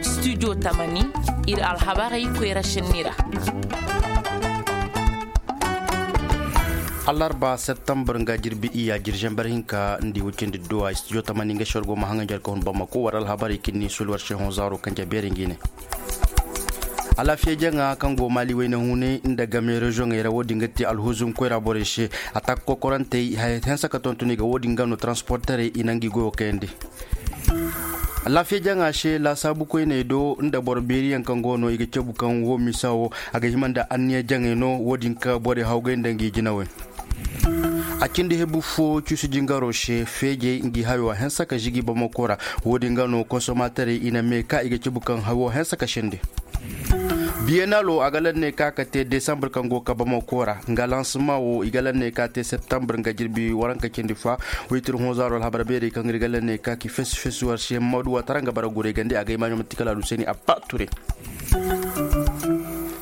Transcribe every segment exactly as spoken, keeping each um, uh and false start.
Studio tamani, ir alhabarey koyra šenni ra. Allarba septembar nga jirbi iyya jirjember hinka nda i wacindi duwa studio tamani nga se war go ma haŋa njar ka hun bamako war alhabarey kaŋ ni sul war se hõ zaaro kaŋ ja beeri ngi ne. Alaafiya jaŋa kaŋ go maali wayna hunay nda game reziyoŋey ra wo- din ga te alhuzum koyra borey se. Atak kokorantey haya hense ka tonton i ga wo- din ga no taransporterey i na ngi goyo kayandi. Alaafiya jaŋa se laasaabu koyney do nda boro beeriyaŋ kaŋ go no i ga cabu kaŋ wo misa wo a ga hima nda anniya jaŋey no wo- din ka borey hawgay nda ngi jinawey. A cindi hebu fo cuusu jingaro se feejey ngi hayo a hense ka žigi bamako ra. Wo- din ga no konsomaterey i na mee ka i ga cabu kaŋ hayo hense ka sende. Biyenalo a ga lanne ka ka te desambur kaŋ go ka bamako ra nga lansama wo i ga lanne ka te septambur nga jirbi waranka cindi fa. Waytir hõ zaaro alhabar beerey kaŋ ir ga lanne ka ki fesu fesu war se madu watara nga bara guray gande a ga imaɲo manti kala alu se ni abba ture.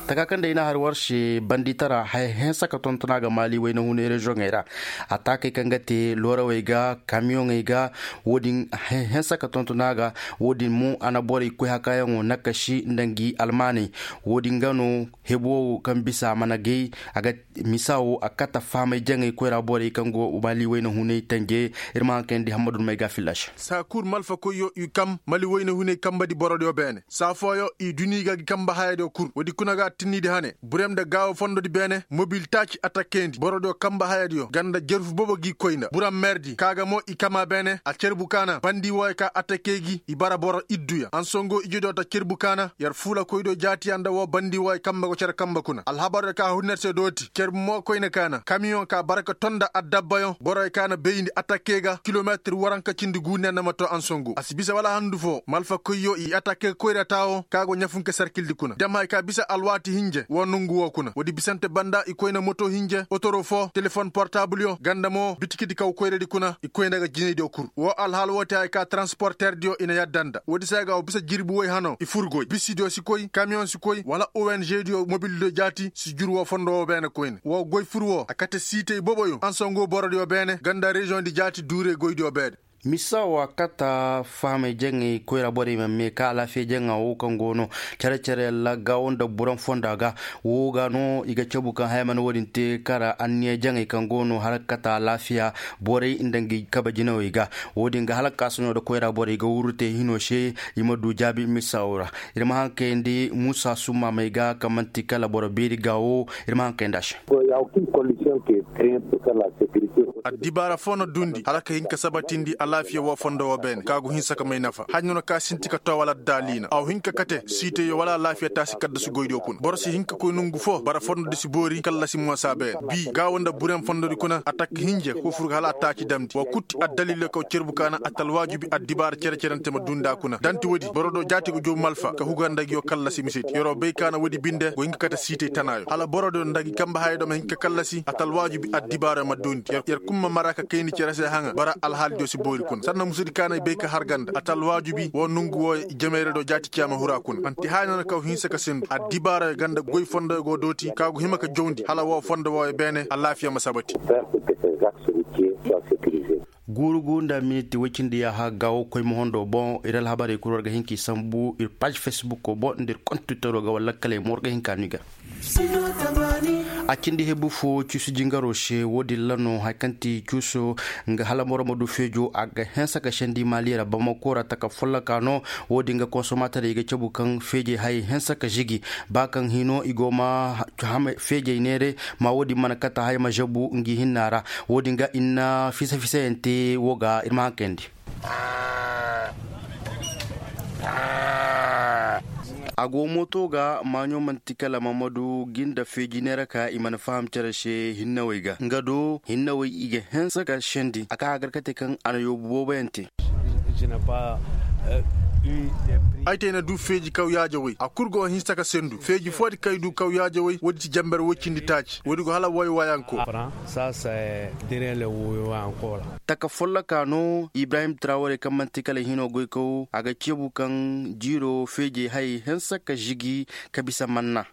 Taka kaŋ day na har war se banditara haya hense ka tontona ga maali wayna hunay reziyoŋey ra. Ataakey kaŋ ga te loorawey ga kamiyoŋey ga wo- din haya hense ka tontona ga. Wo- din mo a na borey koy hakaayaŋo nakasi nda ngi almaaney. Wo- din ga no hebo wo kaŋ bisa a mana gay a ga misa wo a kata fahamay jaŋey koyra borey kaŋ go maali wayna hunay tanje. Ir ma haŋ kayandi hammadu may ga fillaš. Saa kul malfa koyyo i kam mali wayna hunay kambadi borodiyo beene saa fooyo i duni ga gi kamba hayadiyo kul woodi kuna ga tinnidi hane burem nda gaawo fondodi beene mobil taaci atakkendi borodiyo kamba hayadiyo ganda jerfu bobo gi koy nda buram merdi kaaga mo i kama beene a cerbu kaana bandi wooyo ka atakke gi i bara boro idduya ansongo ijediyo ta cerbu kaana yer fuula koydiyo jaatiya nda woo bandi wooyo kamba go cere kamba kuna alhabaryo ka hunner se dooti cerbu mo koyne kaana kamiyoŋ ka bara ka tonda addabbayoŋ boroyo ka na bayndi atakke ga kilometir waranka cindi guuniya na ma to ansongo a si bisa wala handu foo malfa koyyo i atakke koyra taawo ka go ɲafunka sarkildi kuna dem hay ka bisa alwaati hinje woo nongu woo kuna woodi bisante banda i koyna moto hinje otoro foo telefon portabulyo ganda mo bitikidi kaw koyradi kuna i koyna ga jinaydiyo kul woo alhaal woo te hay ka taransporterdiyo i na yadda nda woodi se ga woo bisa jirbi woy hano i fur goy bisidiyo si koy kamiyoŋ si koy wala onždiyo mobildiyo jaati si jur woo fondo woo beene koyne woo goy fur woo a kate siitey boboyo ansongo borodiyo beene ganda reziyoŋdi jaati duurey goydiyo beene. Misa wo a kata fahamey jaŋey koyra borey ma mee ka alaafiya jaŋa wo kaŋ go no cere-cere lagga wo nda buran fonda ga wo ga no i ga cabu kaŋ haya mana wo-din te kara anniya jaŋey kaŋ go no hala kata alaafiya borey nda ngi kabe jinawey ga wo-din ga hala ka sano nda koyra borey ga wuru te hino se i ma du jaabi misa wo ra. Ir ma haŋ kayandi muusa summaamey ga kaŋ man'ti kala boro beeri ga wo. Ir ma haŋ kayandi a se. Addibaara foo na duundi hala ka hin ka sabatindi alaafiya woo fondo woo beene ka go hinsa ka may nafa haɲa no ka sinti ka too wala addaaliina a wa hin ka kate siiteyo wala alaafiya taasi kaddasu goydiyo kuna boro si hin ka koy nongu foo bara fondodi si boori kallasi moosa beene bii gaawo nda buren fondodi kuna atak hinje foo fur ga hala a taaci damndi woo kul ti addaliilo kaw cerbu kaana ata alwaajibi addibaara cere-cerente ma duundi a kuna da nti woodi borodiyo jaati go jow malfa ka huga nda nguyo kallasi misedi yer'o bay kaana woodi binde go hin ka kate siitey tanaayo hala borodiyo nda ngi kambe hayadiyo ma hin ka kallasi ata alwaajibi addibaarayo ma duundi yer kul ma mara ka kayndi cere se haŋa bara alhaalidiyo si boori kuna sanna musudi kaana i bay ka har ga nda ata alwaajibi woo nongu wooyo i jamayradiyo jaati ciya ma huru a kuna man'ti haya no na kaw hinsa ka sindu addibaarayo ga nda goy fondoyo go dooti ka go hima ka jawndi hala woo fondo wooyo beene alaafiya ma sabati. Guuru gu nda miniti woy cindi yaaha gaawo koy ma hondo boŋ ir alhabarey kul war ga hin k'i sambu ir paaž fesbukoo boŋ nda ir kontitoroo ga wala lakkaley mo war ga hin ka no i ga. A cindi hebu fo cuusu jingaroo se wo-din ra no hari kaŋ ti cuuso nga hala boro ma du feejo a ga hense ka sendi maali ra bamako ra taka folloka no. Wo-din ga konsomaterey ga cabu kaŋ feejey hayey hense ka žigi ba kaŋ hino i go ma feejey neeray ma wo-din mana kate haya ma žabu ngi hinna ra. Wo-din ga i na fisa-fisayaŋ te wo ga ir ma haŋ kayandi. A go mooto ga maaɲo man'ti kala mamadu gi nda feeji neera ka i mana faham cere se hinnawey ga nga do hinnawey i ga hense ka sendi a ka a gar ka te kaŋ a na yoobu booboyaŋ te. Ay te ay na du feeji kawyaaje woy a kul go hinsa ka sendu feeji foodi kaŋ ay du kawyaaje woy woodi ti jamber woy cindi taaci woodi go hala woy waayaŋ ko. Taka folloka no ibrahim traware kaŋ man'ti kala hino goykaw a ga ceebu kaŋ jiiro feejey hayey hinsa ka žigi ka bisa manna.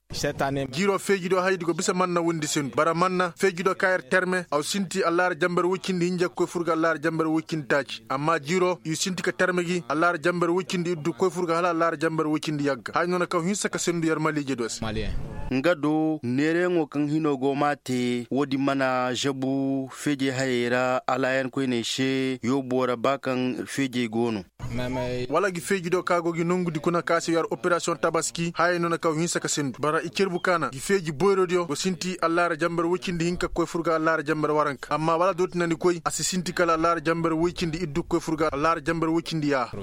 Jiiro feeji do hayey di go bisa manna windi sendu bara manna feeji do kaŋ yer terme aw sinti allaara jamber woy cindi hinja ga koy fur ga allaara jamber woy cindi taaci amma jiiro i sinti ka terme gi allaara jamber woy cindi iddu ga koy fur ga hala allaara jamber woy cindi yagga haya no na kaw hinsa ka sendu yer maliije do se. Nga do neerayaŋo kaŋ hino go m'a te woodin mana žabu feejey hayey ra alaayan koyney se yoobo ra ba kaŋ feejey go no. Wala gi feeji do ka go gi nongu di kuna ka se yer operasiyoŋ tabaski hayey no na kaw hinsa ka sendu bara i cerbu kaana gi feeji boyro diyo go sinti allaara jamber woy cindi hinka ga koy fur ga allaara jamber waranka amma wala dooti na ni koy a si sinti kala allaara jamber woy cindi iddu ga koy fur ga allaara jamber woy cindi yaaha.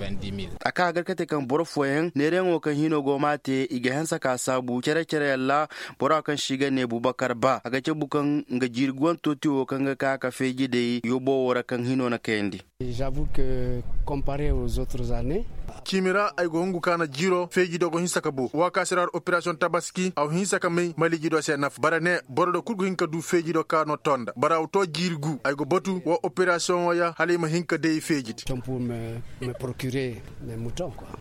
A ka a gar kate kaŋ boro fooyaŋ neerayaŋo kaŋ hino go m'a te i ga hanse ka saabu cere-cere yalla bora kaŋ se i ga ne bubakar ba a ga cabu kaŋ nga jiiri guwanto te wo kaŋ ga ka ka feeji day yoobo wo ra kaŋ hino na kayandi. Ciimi ra ay go hungu ka na jiiro feeji do go hinsa ka boo waakaasi ra war operasiyoŋ tabaski a wa hinsa ka may maliiji do se nafa bara ne boro do kul go hin ka du feeji do ka no too nda bara a wa too jiiri gu ay go batu woo operasiyoŋo ya hala ay ma hin ka day feeji di.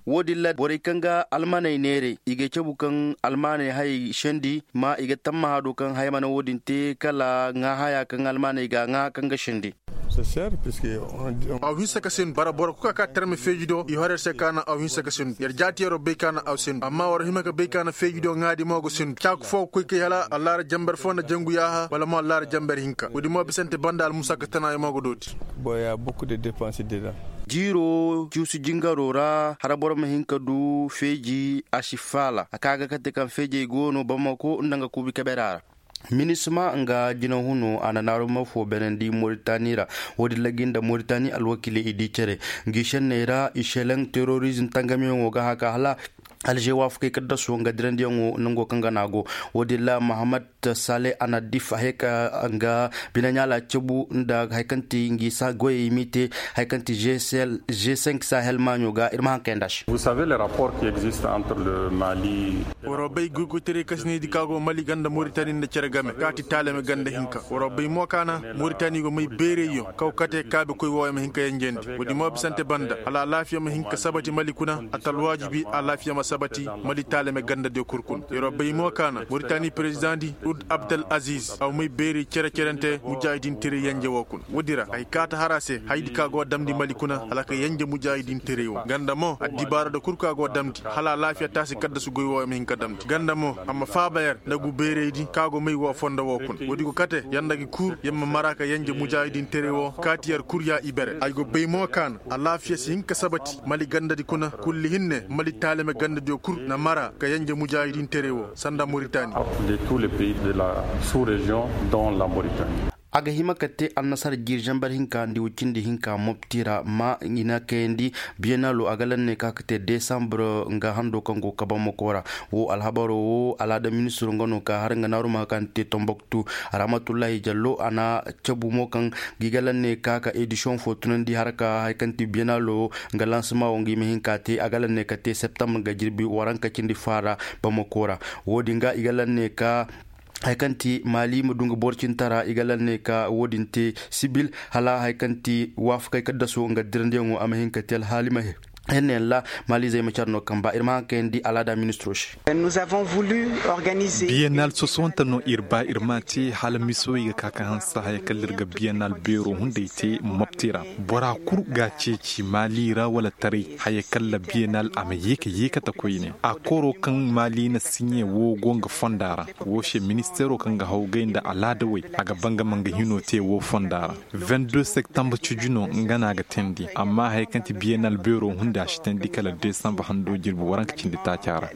Wo- din ra borey kaŋ ga almaney neeray i ga cabu kaŋ almaney hayey sendi ma i ga tammaha do kaŋ haya mana wo- din te kala ŋaahayaa kaŋ almaney ga a ŋaaha kaŋ ga sendi. A wa hinsa ka sendu bara boro kul ka ka tarme feeji do i hor yer se ka naŋ a wa hinsa ka sendu yer jaati yeroo bay ka naŋ a wa sendu amma war hima ka bay ka naŋ feeji do ŋaadi mo ga sendu caaka foo ga koy kay hala allaara jamber foo nda jangu yaaha wala mo allaara jamber hinka wo- din mo bisante banda almusaaka tanaayo mo ga dooti. Jiiro cuusu jingaroo ra hala boro ma hin ka du feeji a si faala a ka ga kate kaŋ feejey go no bamako nda nga kuubi kaberaa ra. Minisma nga jinahunoo a na naaruma foo beenandi moritani ra. Wo- din ra gi nda moritani alwakiiley i di cere ngi šenney ra i šelaŋ terorizm tangamiyaŋo ga haka hala alže waafakey kaddasoo nga dirandiyaŋo nangoo kaŋ ga no a go. Wo- din ra mahamad sale anadif a hee ka nga binaɲaala cabu nda hari kaŋ ti ngi goyey m'i te hari kaŋ ti g cinq sahel maaɲo ga ir ma haŋ kayandi a se. Waroo bay goykoytaray kasinay di ka go mali ganda moritani nda cere game ka ti taalame ganda hinka waroo bay mo ka na moritani go may beerayyo kaw kate kaabekoy wooyo ma hin ka yanjandi. Wo- din mo bisante banda hala alaafiya ma hin ka sabati mali kuna a ta alwaajibi alaafiya ma sabati mali taalame gandadiyo kul kuna yeroo bay mo ka na moritani perezidaŋ di ud abdel aziz a wa may beeray cere-cerante mujaahidin teray yanje woo kuna. Woodi ra ay kaata har a se hayadi ka go a damndi mali kuna hala ka yenje mujaahidin teray wo ganda mo addibaara da kul ka go a damndi hala alaafiya taasi kaddasu goy wo ya ma hin ka damndi ganda mo a ma faaba yer nda gu beeraydi ka go may wo fondo wo kuna woodi go kate yer nda gi kul yer ma mara ka yenje mujaahidin teray wo kaati yer kul ya ibere ay go bay mo ka na alaafiya si hin ka sabati mali gandadi kuna kulli hinne mali taalime gandadiyo kul na mara ka yenje mujaahidin teray wo sanda moritani. A ga hima ka te annasara jiiri zambar hinka nda iwcindi hinka mopti ra ma i na kayandi biyenalo a ga lanne ka ka te desambar nga hando kaŋ go kabamako ra. Wo alhabaro wo alaada ministiro nga no ka har nga naaru ma ka nda te tomboktu. Rahmatullahi jallo a na cabu mo kaŋ ga i ga lanne ka ka edisiyoŋ fo tunandi har ka hari kaŋ ti biyenalo nga lansama wo nga i ma hin ka te a ga lanne ka te septambar nga jirbi waranka cindi faara. Bamako ra wo- din ga i ga lanne ka hari kaŋ ti maali ma du nga boro cintara i ga lanne ka wo- din te sibil hala hari kaŋ ti waafakey kaddaso nga dirandiyaŋo a ma hin ka te alhaali ma henne yaŋ ra. Maalizey ma care no kaŋ ba ir ma haŋ kayandi alaada ministiro se. Biyenal sosowante no ir ba ir ma te hala misoy ga ka ka hanse haya kaŋ ir ga biyenal beero hunday te mopti ra. Bora kul ga a ceeci maali ra wala taray haya kaŋ ra biyenal a ma ye ka yeekate koyne a koro kaŋ maali na siɲe wo go nga fonda ra. Wo se ministeero kaŋ ga hawgay nda alaadawey a ga ba nga ma nga hino te wo fonda ra. Vingt-deux septembre cujino nga no a ga teendi amma haya kaŋ ti biyenal beero hunday a si teendi kala desambar hando jirbi waranka cindi taaca ra.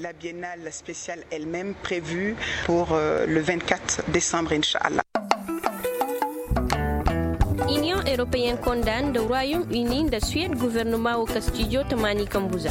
Spéciale elle-même prévue pour le vingt-quatre décembre inšallah. Iniyoŋ europeyenne konda nda royaume uni nda suwed guvernoma wo kastijo tamaani kambu za.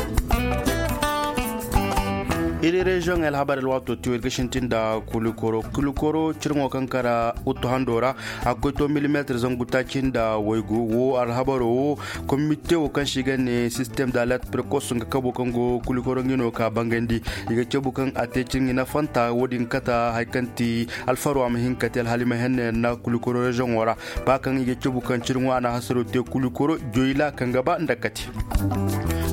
Ir reziyoŋ alhabar alwaato tiyo ir ga sintin nda kulikoro kulikoro cirŋo kaŋ kara uttu hando ra. A ga koy to milimeetir zangu taaci nda waygu wo alhabaro wo. Komite wo kaŋ se i ga ne sistem da alert prekos nga kabo kaŋ go kulikoro nga no ka bangandi. I ga cabu kaŋ a te cirŋi nafanta wo- din kata hari kaŋ ti alfaro a ma hin ka te alhali ma henna yaŋ na kulikoro reziyoŋo ra. Ba kaŋ i ga cabu kaŋ cirŋo a na hasaro te kulikoro joyla kaŋ ga ba nda kate.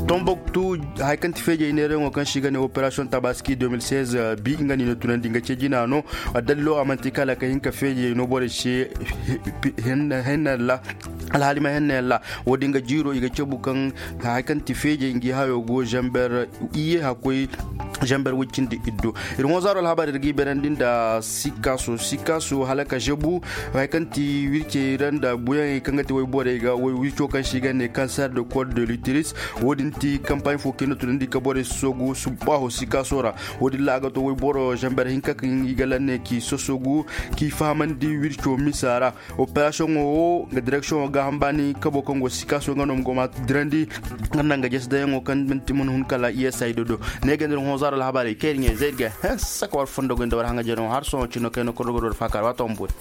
Tomboktu, hari kaŋ ti feejey neerayaŋo kaŋ se i ga ne operasiyoŋ tabaski deux mille seize bi nga no i na tunandi nga ce jina no. Addalilo a manti kala ka hin ka feejey no borey se. Henna ra alhali ma henna yaŋ ra. Wo- din ga jiiro i ga cabu kaŋ hari kaŋ ti feejey ngi hayo go zamber iyye hakkoy zamber woy cindi iddo. Ir honzaaro alhabar ir ga i berandi nda sikaso sikaso hala ka zebu. Hari kaŋ ti wircey ra nda buyaŋey kaŋ ga ti woy borey ga woy wirco kaŋ se i ga ne kanser de kod de litiris. Wo- din ti kampaaɲ fo kaŋ i na tunandi ka borey soogu subbaaho sikaso ra. Wo- din ra a ga to woy boro zamber hinka kaŋ i ga lanne k'i sosogu k'i fahamandi wirco misa ra. Operasiyoŋo wo nga direksiyoŋo gaaham baani kabo kaŋ go sikaso nga no ma go ma dirandi. Nga naŋ ga jesi dayaŋo kaŋ manti man hun kala iyesay dodo. Ne ga ndir honzaaro alhabaarey kaŋ ir ɲey zay ir ga hanse ka war fondo goy nda war haŋajenaŋo har sohõ cino kayna korogoro war faakar waato ma boori.